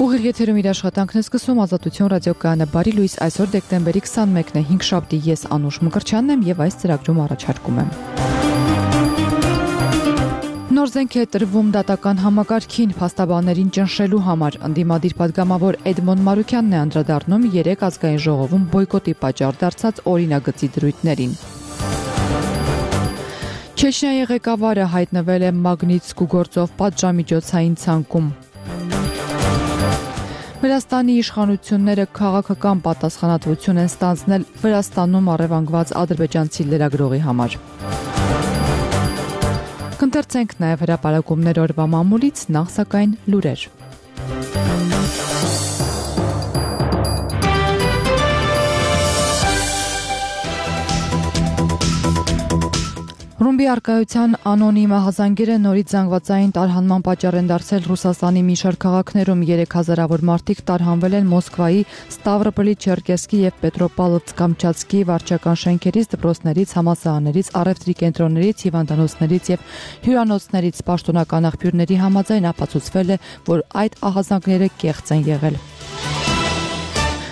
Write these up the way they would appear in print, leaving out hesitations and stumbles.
Ուղիղ եթերում իր աշխատանքն է սկսում Ազատություն ռադիոկայանը բարի լույս այսօր դեկտեմբերի 21-ն է 5 շաբթի ես Անուշ Մկրտչյանն եմ եւ այս ծրագրում առաջարկում եմ Նոր զենք է տրվում դատական համակարգին փաստաբաններին ճնշելու համար ընդդիմադիր պատգամավոր Էդմոն Մարուկյանն է անդրադառնում 3 ազգային ժողովում բոյկոտի պատճառ դարձած օրինագծի դրույթներին Չեչնիայի ղեկավարը հայտնվել է Մագնիտսկու գործով պատժամիջոցային ցանկում Վրաստանի իշխանությունները քաղաքական պատասխանատվություն են ստանձնել Վրաստանում առևանգված ադրբեջանցի լրագրողի համար։ Կընթերցենք նաև հրապարակումներ օրվա մամուլից, նախ սակայն լուրեր։ Ռումբի արկայության անոնիմ հազանգերը նորից զանգվածային տարհանման պատճառ են դարձել Ռուսաստանի մի շարք քաղաքներում 3000-ավոր մարդիկ տարհանվել են Մոսկվայի Ստավրոպոլի-Չերկեսկի եւ Պետրոպավլովսկ-Կամչատսկի վարչական շենքերից, դպրոցներից, համալսարաններից, առևտրի կենտրոններից, հիվանդանոցներից եւ հյուրանոցներից պաշտոնական աղբյուրների համաձայն ապացուցվել է, որ այդ ահազանգները կեղծ են եղել։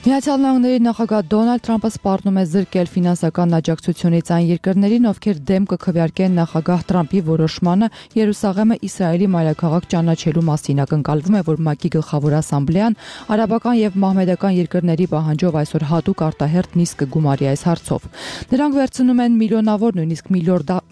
Միացյալ Նահանգների նախագահ Դոնալդ Թրամփը սպառնում է զրկել ֆինանսական աջակցությունից այն երկրներին, ովքեր դեմ կքվեարկեն նախագահ Թրամփի որոշմանը Երուսաղեմը Իսրայելի մայրաքաղաք ճանաչելու մասին ակնկալվում է, որ ՄԱԿ-ի գլխավոր ասամբլեան արաբական եւ մահմեդական երկրների պահանջով այսօր հատուկ արտահերթ նիստ կգումարի այս հարցով։ Նրանք վերցնում են միլիոնավոր, նույնիսկ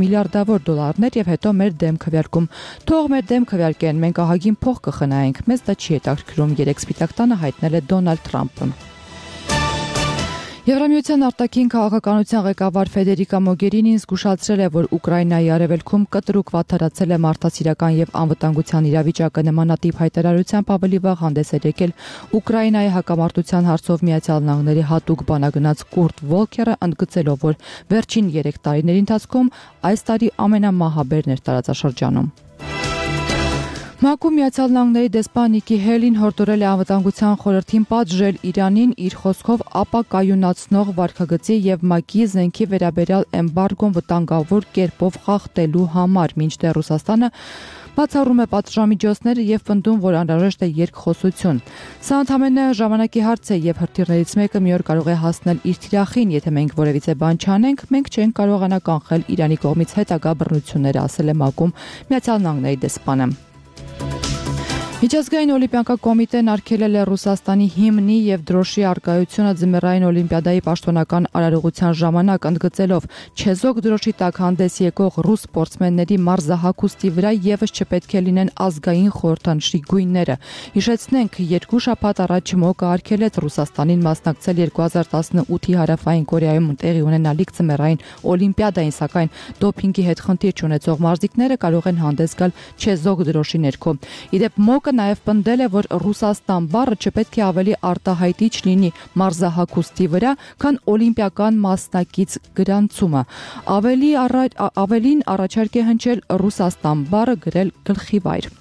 միլիարդավոր դոլարներ եւ հետո մեր դեմ քվեարկում։ Թող մեր դեմ քվեարկեն, մենք ահագին փող կխնայենք, մեզ դա չի հետաքրքրում, երեք սպիտակ տանը հայտնել է Դոնալդ Թրամփը։ Եվրամիության արտաքին քաղաքականության ղեկավար Ֆեդերիկա Մոգերինին զգուշացրել է, որ Ուկրաինայի արևելքում կտրուկ վատթարացել է մարդասիրական եւ անվտանգության իրավիճակը նմանատիպ հայտարարությամբ ավելի վաղ հանդես էր եկել Ուկրաինայի հակամարտության հարցով Միացյալ Նահանգների հատուկ բանագնաց Կուրտ Վոլքերը, ընդգծելով, որ վերջին 3 տարիների ընթացքում այս տարի ամենամահաբերն էր տարածաշրջանում։ ՄԱԿ-ում Միացյալ Նահանգների դեսպան Նիկի Հելին հորդորել է անվտանգության խորհրդին պատժել Իրանին իր խոսքով ապակայունացնող վարքագծի եւ ՄԱԿ-ի զենքի վերաբերյալ էմբարգոն վտանգավոր կերպով խախտելու համար, մինչդեռ Ռուսաստանը բացառում է պատժամիջոցները եւ պնդում, որ անհրաժեշտ է երկխոսություն։ Սա ընդամենը ժամանակի հարց է եւ հրթիռներից մեկը մի օր կարող է հասնել իր թիրախին, եթե մենք որևիցե բան չանենք, մենք չենք կարողանա կանխել Իրանի կողմից հետագա բռնությունները, ասել է ՄԱԿ-ում Միացյալ Նահանգների դեսպանը։ Միջազգային օլիմպիական կոմիտեն արգելել է Ռուսաստանի հիմնի եւ դրոշի արկայությունը ձմեռային օլիմպիադայի պաշտոնական արարողության ժամանակ, ընդգծելով չեզոք դրոշի տակ հանդես եկող ռուս սպորտսմենների մարզահագուստի վրա եւս չպետք է լինեն ազգային խորհրդանշի գույները։ Հիշեցնենք, 2 շաբաթ առաջ ՄՕԿ-ը արգելեց Ռուսաստանին մասնակցել 2018-ի Հարավային Կորեայում տեղի ունենալիք ձմեռային օլիմպիադային, սակայն դոփինգի հետ խնդիր չունեցող մարզիկները կարող են հանդես գալ չեզոք դրոշի ներքո։ Իդեպ ՄՕԿ-ը նաև պնդել է, որ Ռուսաստան բառը չպետք է ավելի արտահայտիչ լինի մարզահագուստի վրա, քան օլիմպիական մասնակից գրանցումը։ Ավելին առաջարկ է հնչել Ռուսաստան բառը գրել գլխիվայր։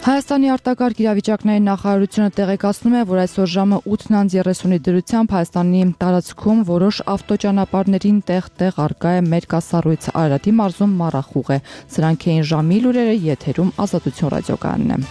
Հայաստանի արտակարգ իրավիճակների նախարարությունը տեղեկացնում է, որ այսօր ժամը 8:30-ի դրությամբ Հայաստանի տարածքում որոշ ավտոճանապարհներին տեղ-տեղ արկա է մերկասառույց, Արարատի մարզում մառախուղ է։ Սրանք էին ժամի լուրերը, եթերում Ազատություն ռադիոկայանն է։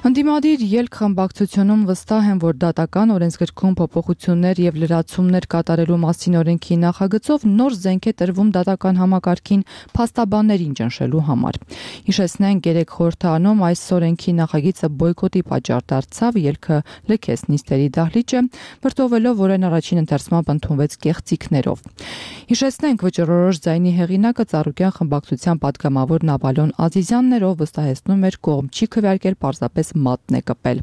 Ընդդիմադիր ելք խմբակցությունում վստահ են, որ դատական օրենսգրքում փոփոխություններ եւ լրացումներ կատարելու մասին օրենքի նախագծով նոր զենք է տրվում դատական համակարգին փաստաբաններին ճնշելու համար։ Հիշեցնենք, 3 խորհրդարանում այս օրենքի նախագիծը բոյկոտի պատճառ դարձավ, ելքը լքեց նիստերի դահլիճը, վրդովելով, որ այն առաջին ընթերցմամբ ընդունվեց կեղծիքներով։ Հիշեցնենք, վճռորոշ ձայնի հեղինակը Ծառուկյան խմբակցության պատգամավոր Նավալյոն Ազիզյանն էր, ով վստահեցնում էր կողմ չի քվեարկել, պարզապես մատն է կպել։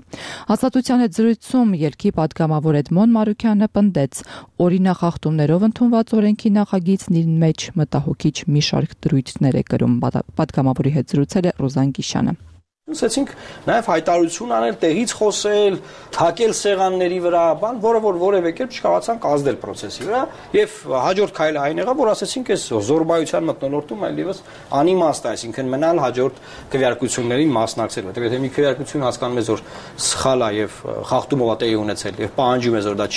Ազատության հետ զրույցում ելքի պատգամավոր Էդմոն Մարուկյանը պնդեց, օրինախախտումներով ընդունված օրենքի նախագիծն իր մեջ մտահոգիչ մի շարք դրույթներ է կրում։ Պատգամավորի հետ զրուցել է Ռոզան Գիշյանը։ Ասեցինք նաև հայտարարություն անել, տեղից խոսել, թակել սեղանների վրա, բան, որը որևէ կերպ չկարողացան կազդել process-ի վրա, եւ հաջորդ քայլը այն եղավ, որ ասեցինք այս զորբայության մթնոլորտում այլևս անիմաստ է, այսինքն մնալ հաջորդ քվեարկություններին մասնակցել, որտեղ եթե մի քվեարկություն հասկանում ես, որ սխալ է եւ խախտումով է տեղի ունեցել եւ պահանջում ես, որ դա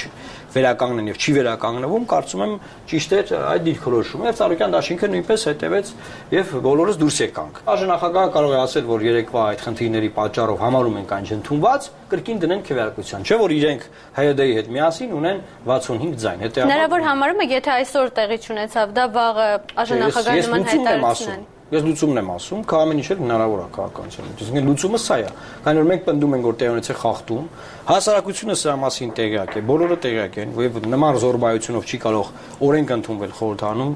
վերականգնեն եւ չի վերականգնվում, կարծում եմ ճիշտ է այդ դիրքորոշումը եւ Ծառուկյան դաշինքը նույնպես հետեւեց եւ բոլորս դուրս եկանք։ Նախագահը կարող է ասել, որ երեկվա այդ խնդիրների պատճառով համարում ենք այն չընդունված, կրկին դնեն քվեարկության, չէ՞ որ իրենք ՀՅԴ-ի հետ միասին ունեն 65 ձայն։ Հնարավոր համարում եք, եթե այսօր տեղի չունեցավ, դա վաղը նախագահի նման հայտարարություն են։ Ես լուծումն եմ ասում, քա ամեն ինչ էլ հնարավոր է քաղաքականության մեջ։ Իսկ լուծումը սա է։ Քանի որ մենք պնդում ենք, որ տեղի ունեցել խախտում, հասարակությունը սրա մասին տեղյակ է, բոլորը տեղյակ են, եւ նման զորբայությունով չի կարող օրենք ընդունվել խորհրդանում,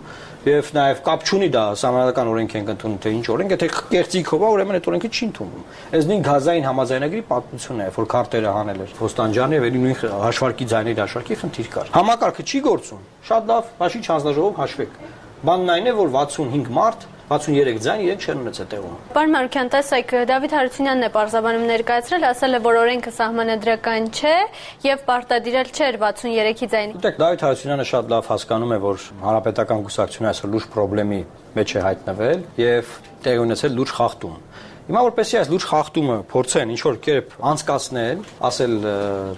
եւ նաեւ կապ չունի դա համանadական օրենք ենք ընդունում, թե ինչ օրենք, եթե կեղծիքով է, ուրեմն այդ օրենքը չի ընդունվում։ Այս նույն գազային համաձայնագրի պատմությունն է, որ քարտերը հանել էր Ոստանջյանը եւ էլի նույն հաշվարկի ձայների հաշվարկի խնդիր կար։ Համակարգը չի գործում։ Շատ լավ, բաշի հանձնաժողով հաշվեք։ Բանն այն է, որ 65 մարդ 63 ձայն իրենք չեն ունեցել տեղում։ Պարոն Մանուկյան, տեսեք, Դավիթ Հարությունյանն է պարզաբանում ներկայացրել, ասել է, որ օրենքը սահմանադրական չէ եւ պարտադիրել չէր 63-ի ձայնի։ Դուք Դավիթ Հարությունյանը շատ լավ հասկանում է, որ հանրապետական կուսակցությունը այսօր լուրջ խնդրի մեջ է հայտնվել եւ տեղի ունեցել լուրջ խախտում։ Հիմա որպեսզի այս լուրջ խախտումը փորձեն ինչ որ կերպ անցկացնել, ասել,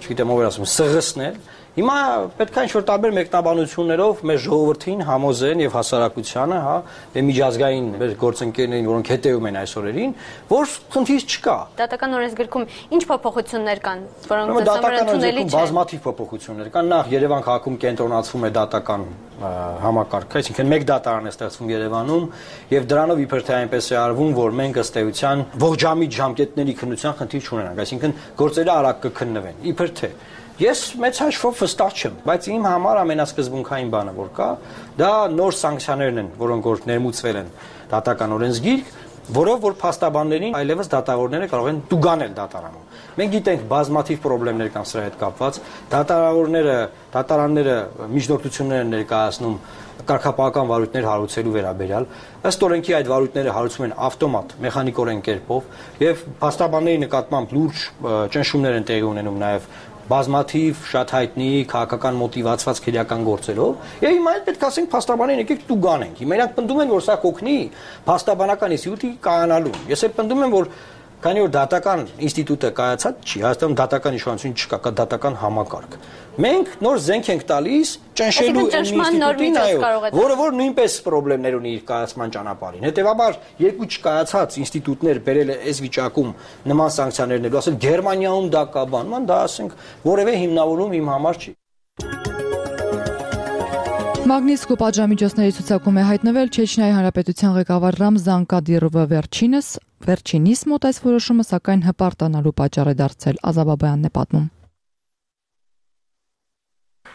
չգիտեմ ով էր ասում, սղսնել, հիմա պետք է ինչ-որ տարբեր մեկնաբանություններով մեր ժողովրդին համոզեն եւ հասարակությանը, հա, եւ միջազգային մեր գործընկերներին, որոնք հետեւում են այս օրերին, որ խնդիր չկա։ Դատական օրենսգրքում ինչ փոփոխություններ կան, որոնք դատական օրենսգրքում բազմաթիվ փոփոխություններ կան։ Նախ Երևան քաղաքում կենտրոնացվում է դատական համակարգը, այսինքն մեկ դատարան է ստեղծվում Երևանում եւ դրանով իբր թե այնպես է արվում, որ մենք ըստ էության ողջամիտ ժամկետների քննության խնդիր չունենանք, այսինքն գործերը արագ կքննվեն, իբր թե Ես մեծ հաշվով վստահ չեմ, բայց իմ համար ամենասկզբունքային բանը որ կա, դա նոր սանկցիաներն են, որոնք որ ներմուծվել են դատական օրենսգիրք, որով որ փաստաբաններին այլևս դատավորները կարող են տուգանել դատարանում։ Մենք գիտենք բազմաթիվ խնդիրներ կան սրա հետ կապված, դատարանները միջնորդություններ են ներկայացնում կարգապահական վարույթներ հարուցելու վերաբերյալ, ըստ օրենքի այդ վարույթները հարուցվում են ավտոմատ, մեխանիկորեն կերպով եւ փաստաբանների նկատմամբ լուրջ ճնշումներ են տեղի ունենում նաեւ բազմաթիվ շատ հայտնի քաղաքական մոտիվացված քրեական գործերով եւ հիմա էլ պետք է ասենք փաստաբաններին եկեք տուգանենք։ Հիմա իրանք պնդում են որ սա կօգնի փաստաբանական ինստիտուտի կայանալուն։ Ես էլ պնդում եմ որ քանի որ դատական ինստիտուտը կայացած չի, Հայաստանում դատական իշխանություն չկա, կա դատական համակարգ։ Մենք նոր զենք ենք տալիս ճնշելու ինստիտուտին, որը որ նույնպես խնդիրներ ունի իր կայացման ճանապարհին։ Հետևաբար երկու չկայացած ինստիտուտներ բերել է այս վիճակում նման սանկցիաներ ներելու, ասել Գերմանիայում դա կա բան, դա ասենք որևէ հիմնավորում իմ համար չի։ Մագնիսկու պատժամիջոցների ցուցակում է հայտնվել Չեչնիայի Հանրապետության ղեկավար Ռամզան Կադիրովը վերջինիս մոտ այս որոշումը սակայն հպարտանալու պատճառ է դարձել, Ազաբաբյանն է պատմում։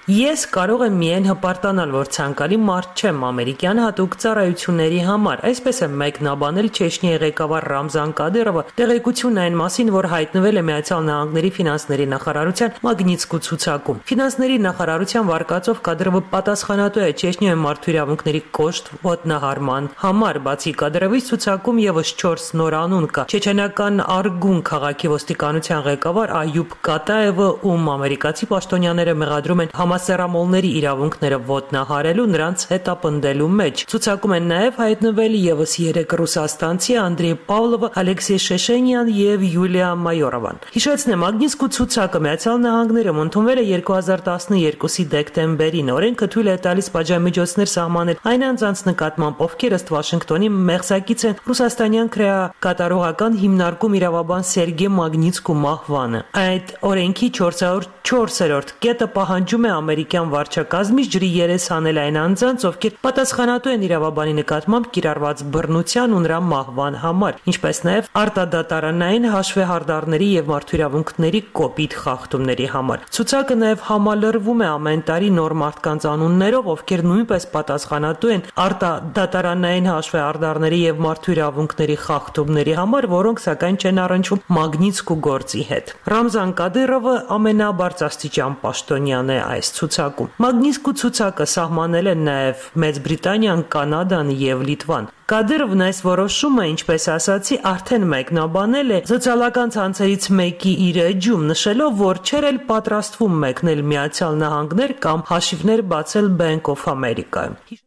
Ես կարող եմ միայն հպարտանալ, որ ցանկալի մարդ չեմ ամերիկյան հատուկ ծառայությունների համար, այսպես է մեկնաբանել Չեչնիայի ղեկավար Ռամզան Կադիրովը տեղեկությունն այն մասին, որ հայտնվել է Միացյալ Նահանգների ֆինանսների նախարարության Մագնիսկու ցուցակում։ Ֆինանսների նախարարության վարկածով Կադիրովը պատասխանատու է Չեչնիայի մարդու իրավունքների կոշտ ոտնահարման համար, բացի Կադիրովից ցուցակում եւս 4 նոր անուն կա։ Չեչենական Արգուն քաղաքի ոստիկանության ղեկավար Այյուբ Կատաևը, ում ամերիկացի պաշտոնյաները մեղադրում են համասեռամոլների իրավունքները ոտնահարելու նրանց հետապնդելու մեջ։ Ցուցակում են նաև հայտնվել եւս 3 ռուսաստանցի Անդրեյ Պավլովը, Ալեքսեյ Շեշենյան եւ Յուլիա Մայորովան։ Հիշեցնեմ, Մագնիսկու ցուցակը Միացյալ Նահանգներում ընդունվել է 2012-ի դեկտեմբերին։ Օրենքը թույլ է տալիս պատժամիջոցներ սահմանել այն անձանց նկատմամբ, ովքեր ըստ Վաշինգտոնի մեղսակից են ռուսաստանյան քրեակատարողական հիմնարկում իրավաբան Սերգեյ Մագնիսկու մահվանը։ Այդ օրենքի 404-րդ կետը պահանջում է ամերիկյան վարչակազմից ջրի երես հանել այն անձանց, ովքեր պատասխանատու են իրավաբանի նկատմամբ կիրառված բռնության ու նրա մահվան համար, ինչպես նաև արտադատարանային հաշվեհարդարների եւ մարդու իրավունքների կոպիտ խախտումների համար։ Ցուցակը նաև համալրվում է ամեն տարի նոր մարդկանց անուններով, ովքեր նույնպես պատասխանատու են արտադատարանային հաշվեհարդարների եւ մարդու իրավունքների խախտումների համար, որոնք սակայն չեն առնչվում Մագնիսկու գործի հետ։ Ռամզան Կադիրովը ամենաբարձրաստիճան պաշտոնյան է այս այս ցուցակում։ Մագնիսկու ցուցակը սահմանել են նաև Մեծ Բրիտանիան, Կանադան եւ Լիտվան։ Կադիրովն այս որոշումը, ինչպես ասացի, արդեն մեկնաբանել է սոցիալական ցանցերից մեկի իր էջում, նշելով, որ չէր էլ պատրաստվում մեկնել Միացյալ Նահանգներ կամ հաշիվներ բացել Bank of America-ում։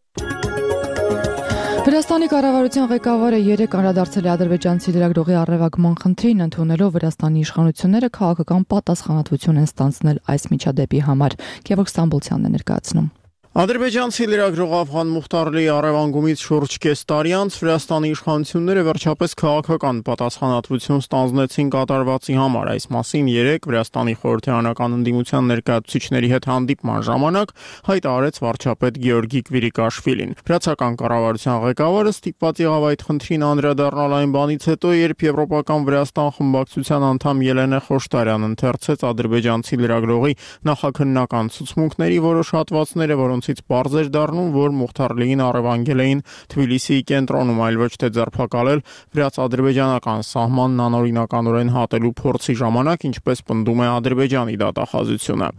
Վրաստանի կառավարության ղեկավարը երեկ անդրադարձել է ադրբեջանցի լրագրողի առևանգման խնդրին, ընդունելով Վրաստանի իշխանությունները քաղաքական պատասխանատվություն են ստանձնել այս միջադեպի համար։ Գևորգ Ստամբոլցյանն է ներկայացնում։ Ադրբեջանցի լրագրող Աֆղան Մուխտարլիի առևանգումից շուրջ կես տարի անց Վրաստանի իշխանությունները վերջապես քաղաքական պատասխանատվություն ստանձնեցին կատարվածի համար։ Այս մասին երեկ Վրաստանի խորհրդարանական ընդդիմության ներկայացուցիչների հետ հանդիպման ժամանակ հայտարարեց վարչապետ Գեորգի Կվիրիկաշվիլին։ Վրացական կառավարության ղեկավարը ստիպված եղավ այդ խնդրին անդրադառնալ այն բանից հետո, երբ Եվրոպական Վրաստան խմբակցության անդամ Ելենե Խոշտարյանն ընթերցեց ադրբեջանցի լրագրողի նախաքննական ցուցմունքների որոշ հատվածները, որոնցից պարզ էր դառնում, որ Մուխտարլիին առևանգել էին Թբիլիսիի կենտրոնում, այլ ոչ թե ձերբակալել վրաց-ադրբեջանական սահմանն անօրինականորեն հատելու փորձի ժամանակ, ինչպես պնդում է Ադրբեջանի դատախազությունը։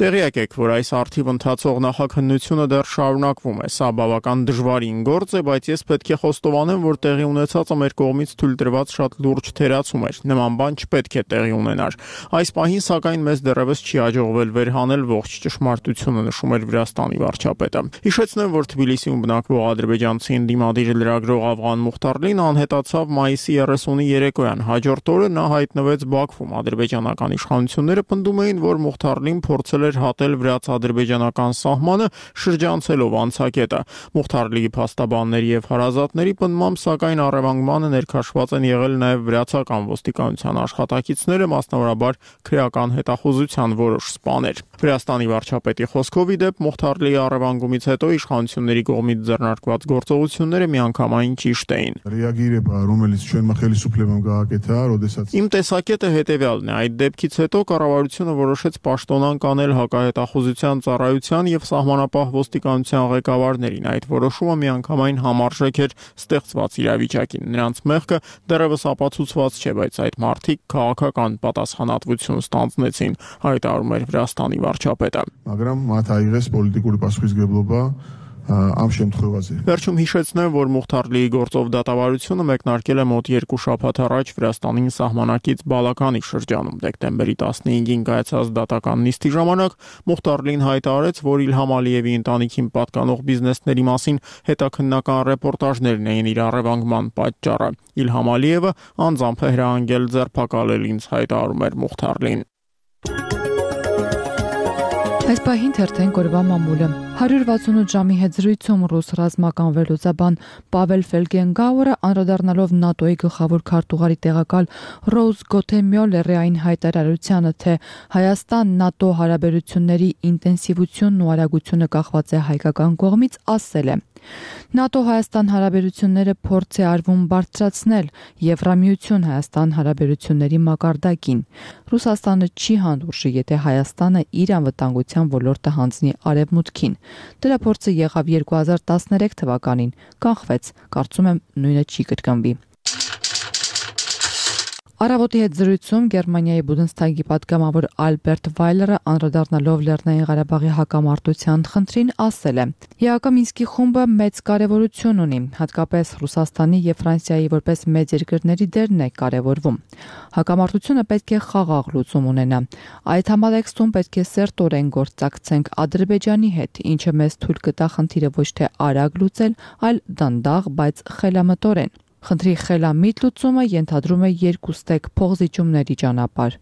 Տեղյակ եք, որ այս արդիվ ընթացող նախաքննությունը դեռ շարունակվում է։ Սա բավական դժվարին գործ է, բայց ես պետք է խոստովանեմ, որ տեղի ունեցածը մեր կողմից թույլ տրված շատ լուրջ թերացում էր։ Նման բան չպետք է տեղի ունենար։ Այս պահին սակայն մեզ դեռևս չի հաջողվել վերհանել ողջ ճշմարտությունը, նշում էր Վրաստանի վարչապետը։ Հիշեցնեմ, որ Թբիլիսիում բնակվող ադրբեջանցի ընդդիմադիր լրագրող Աֆղան Մուխտարլին անհետացավ մայիսի 30-ի երեկոյան։ Հաջորդ օրը նա հայտնվեց Բաքվում։ Ադրբեջանական իշխանությունները պնդում էին, որ Մուխտարլին փորձել էր հատել վրաց-ադրբեջանական սահմանը, շրջանցելով անցակետը։ Մուխտարլիի փաստաբանների եւ հարազատների պնդմամբ, սակայն առևանգմանը ներքաշված են եղել նաեւ վրացական ոստիկանության աշխատակիցները, մասնավորաբար քրեական հետախուզության որոշ սպաներ։ Վրաստանի վարչապետի խոսքով ի դեպ Մուխտարլիի առևանգումից հետո իշխանությունների կողմից ձեռնարկված գործողությունները միանգամայն ճիշտ էին։ Իմ տեսակետը հետևյալն է. այդ դեպքից հետո կառավարությունը որոշեց պաշտոնանկ անել հակահետախուզության ծառայության եւ սահմանապահ ոստիկանության ղեկավարներին։ Այդ որոշումը միանգամայն համարժեք էր ստեղծված իրավիճակին։ Նրանց մեղքը դեռևս ապացուցված չէ, բայց այդ մարդիկ քաղաքական պատասխանատվություն ստանձնեցին, հայտարարում էր Վրաստանի վարչապետը։ Վերջում հիշեցնեմ, որ Մուխտարլիի գործով դատավարությունը մեկնարկել է մոտ 2 շաբաթ առաջ Վրաստանին սահմանակից Բալականի շրջանում։ Դեկտեմբերի 15-ին կայացած դատական նիստի ժամանակ Մուխտարլին հայտարարեց, որ Իլհամ Ալիևի ընտանիքին պատկանող բիզնեսների մասին հետաքննական ռեպորտաժներն էին իր առևանգման պատճառը։ Իլհամ Ալիևը անձամբ է հրահանգել ձերբակալել ինձ, հայտարարում էր Մուխտարլին։ Այս պահին թերթենք օրվա մամուլը։ 168 ժամի հետ զրույցում ռուս ռազմական վերլուծաբան Պավել Ֆելգենգաուրը անդրադառնալով ՆԱՏՕ-ի գլխավոր քարտուղարի տեղակալ Ռոուզ Գոթեմյոլերի այն հայտարարությանը, թե Հայաստան-ՆԱՏՕ հարաբերությունների ինտենսիվությունն ու արագությունը կախված է հայկական կողմից, ասել է. ՆԱՏՕ-Հայաստան հարաբերությունները փորձ է արվում բարձրացնել Եվրամիություն Հայաստան հարաբերությունների մակարդակին։ Ռուսաստանը չի հանդուրժի, եթե Հայաստանը իր անվտանգության ոլորտը հանձնի արևմուտքին։ Դրա փորձը եղավ 2013 թվականին, կանխվեց, կարծում եմ նույնը չի կրկնվի։ Առավոտի հետ զրույցում Գերմանիայի Բունդեսթագի պատգամավոր Ալբերտ Վայլերը անդրադառնալով Լեռնային Ղարաբաղի հակամարտության խնդրին ասել է. ԵԱԿ Մինսկի խումբը մեծ կարևորություն ունի, հատկապես Ռուսաստանի եւ Ֆրանսիայի որպես մեծ երկրների դերն է կարևորվում։ Հակամարտությունը պետք է խաղաղ լուծում ունենա։ Այդ համատեքստում պետք է սերտորեն գործակցենք Ադրբեջանի հետ, ինչը մեզ թույլ կտա խնդիրը ոչ թե արագ լուծել, այլ դանդաղ, բայց խելամտորեն։ Խնդրի խելամիտ լուծումը ենթադրում է երկուստեք փոխզիջումների ճանապարհ։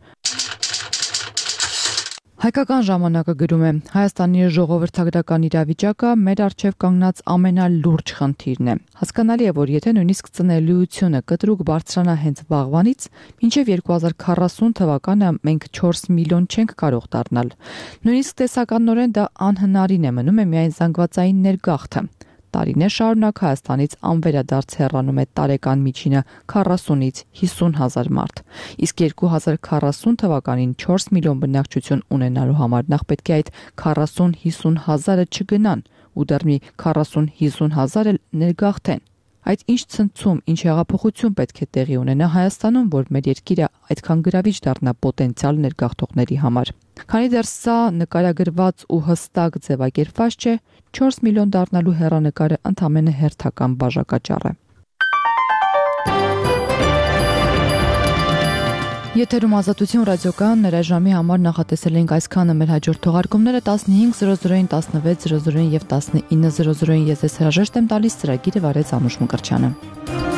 Հայկական ժամանակը գրում է. Հայաստանի ժողովրդագրական իրավիճակը մեր առջև կանգնած ամենալուրջ խնդիրն է։ Հասկանալի է, որ եթե նույնիսկ ծնելիությունը կտրուկ բարձրանա հենց վաղվանից, մինչև 2040 թվականը մենք 4 միլիոն չենք կարող դառնալ։ Նույնիսկ տեսականորեն դա անհնարին է, մնում է միայն զանգվածային ներգաղթը։ Տարիներ շարունակ Հայաստանից անվերադարձ հեռանում է տարեկան միջինը 40-ից 50 հազար մարդ։ Իսկ 2040 թվականին 4 միլիոն բնակչություն ունենալու համար նախ պետք է այդ 40-50 հազարը չգնան ու դեռ մի 40-50 հազար էլ ներգաղթեն։ Այդ ինչ ցնցում, ինչ հեղափոխություն պետք է տեղի ունենա Հայաստանում, որ մեր երկիրը այդքան գրավիչ դառնա պոտենցիալ ներգաղթողների համար։ Քանի դեռ սա նկարագրված ու հստակ ձևակերպված չէ, 4 միլիոն դառնալու հեռանկարը ընդամենը հերթական բաժակաճառ է։ Եթերում Ազատություն ռադիոկայանն ներաժամի համար նախատեսել ենք այսքանը, մեր հաջորդ թողարկումները 15:00-ին, 16:00-ին եւ 19:00-ին ես հրաժեշտ եմ տալիս, ծրագիրը վարեց Անուշ Մկրտչյանը։